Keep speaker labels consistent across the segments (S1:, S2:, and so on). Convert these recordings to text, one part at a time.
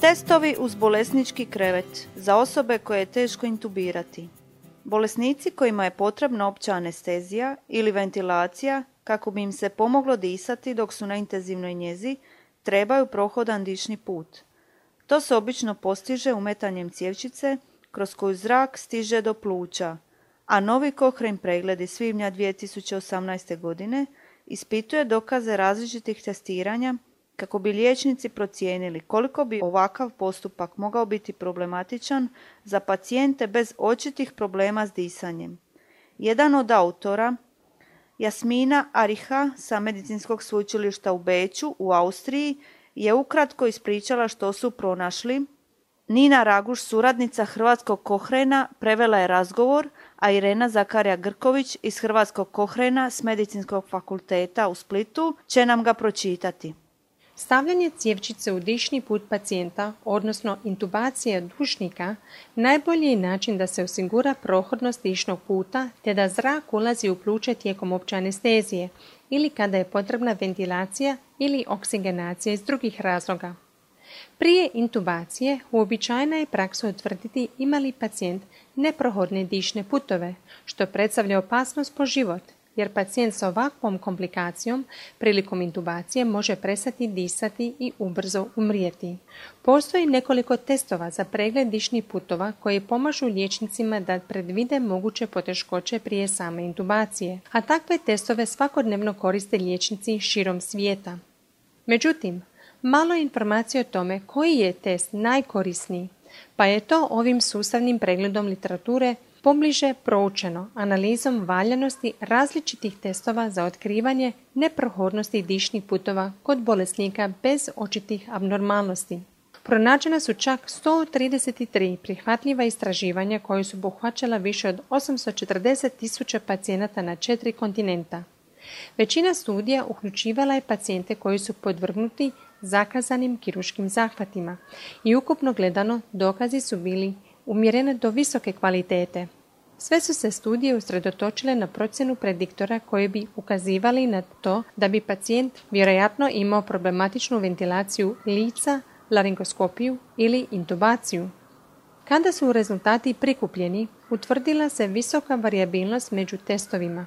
S1: Testovi uz bolesnički krevet za osobe koje je teško intubirati. Bolesnici kojima je potrebna opća anestezija ili ventilacija kako bi im se pomoglo disati dok su na intenzivnoj njezi, trebaju prohodan dišni put. To se obično postiže umetanjem cjevčice kroz koju zrak stiže do pluća, a novi Cochrane pregled iz svibnja 2018. godine ispituje dokaze različitih testiranja kako bi liječnici procijenili koliko bi ovakav postupak mogao biti problematičan za pacijente bez očitih problema s disanjem. Jedan od autora, Jasmina Ariha sa Medicinskog sveučilišta u Beču u Austriji, je ukratko ispričala što su pronašli. Nina Raguš, suradnica Hrvatskog Cochrana, prevela je razgovor, a Irena Zakarija Grković iz Hrvatskog Cochrana s Medicinskog fakulteta u Splitu će nam ga pročitati.
S2: Stavljanje cjevčice u dišni put pacijenta, odnosno intubacija dušnika, najbolji je način da se osigura prohodnost dišnog puta te da zrak ulazi u pluće tijekom opće anestezije ili kada je potrebna ventilacija ili oksigenacija iz drugih razloga. Prije intubacije uobičajena je praksa utvrditi ima li pacijent neprohodne dišne putove, što predstavlja opasnost po život, jer pacijent s ovakvom komplikacijom prilikom intubacije može prestati disati i ubrzo umrijeti. Postoji nekoliko testova za pregled dišnih putova koji pomažu liječnicima da predvide moguće poteškoće prije same intubacije, a takve testove svakodnevno koriste liječnici širom svijeta. Međutim, malo je informacije o tome koji je test najkorisniji, pa je to ovim sustavnim pregledom literature pobliže proučeno analizom valjanosti različitih testova za otkrivanje neprohodnosti dišnih putova kod bolesnika bez očitih abnormalnosti. Pronađena su čak 133 prihvatljiva istraživanja koje su obuhvaćala više od 840.000 pacijenata na 4 kontinenta. Većina studija uključivala je pacijente koji su podvrgnuti zakazanim kirurškim zahvatima i ukupno gledano dokazi su bili umjerene do visoke kvalitete. Sve su se studije usredotočile na procjenu prediktora koji bi ukazivali na to da bi pacijent vjerojatno imao problematičnu ventilaciju lica, laringoskopiju ili intubaciju. Kada su rezultati prikupljeni, utvrdila se visoka varijabilnost među testovima.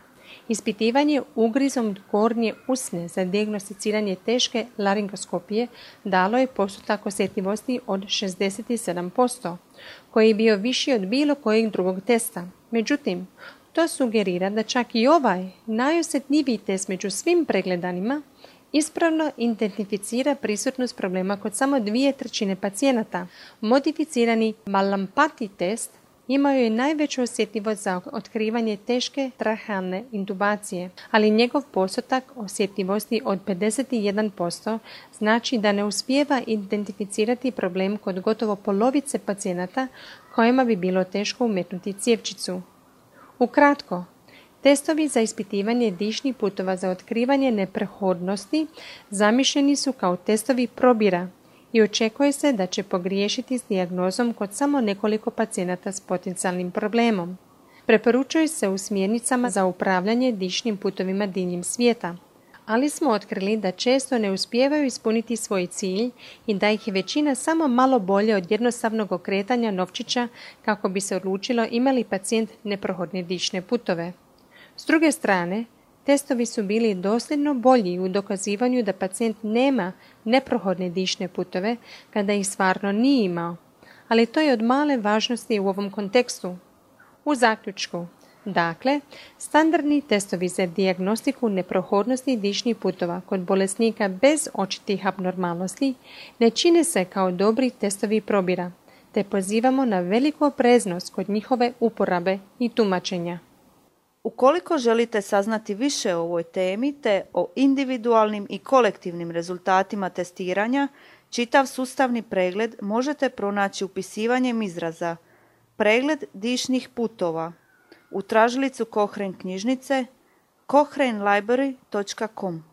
S2: Ispitivanje ugrizom gornje usne za dijagnosticiranje teške laringoskopije dalo je postotak osjetljivosti od 67%, koji je bio viši od bilo kojeg drugog testa. Međutim, to sugerira da čak i ovaj najosjetljiviji test među svim pregledanima ispravno identificira prisutnost problema kod samo 2/3 pacijenata. Modificirani Malampati test imao je najveću osjetljivost za otkrivanje teške trahealne intubacije, ali njegov postotak osjetljivosti od 51% znači da ne uspijeva identificirati problem kod gotovo polovice pacijenata kojima bi bilo teško umetnuti cjevčicu. Ukratko, testovi za ispitivanje dišnih putova za otkrivanje neprohodnosti zamišljeni su kao testovi probira i očekuje se da će pogriješiti s dijagnozom kod samo nekoliko pacijenata s potencijalnim problemom. Preporučuju se u smjernicama za upravljanje dišnim putovima diljem svijeta, ali smo otkrili da često ne uspijevaju ispuniti svoj cilj i da ih je većina samo malo bolje od jednostavnog okretanja novčića kako bi se odlučilo ima li pacijent neprohodne dišne putove. S druge strane, testovi su bili dosljedno bolji u dokazivanju da pacijent nema neprohodne dišne putove kada ih stvarno nije imao, ali to je od male važnosti u ovom kontekstu. U zaključku, dakle, standardni testovi za dijagnostiku neprohodnosti dišnih putova kod bolesnika bez očitih abnormalnosti ne čine se kao dobri testovi probira, te pozivamo na veliku opreznost kod njihove uporabe i tumačenja.
S1: Ukoliko želite saznati više o ovoj temi te o individualnim i kolektivnim rezultatima testiranja, čitav sustavni pregled možete pronaći upisivanjem izraza pregled dišnih putova u tražilicu Cochrane knjižnice cochranelibrary.com.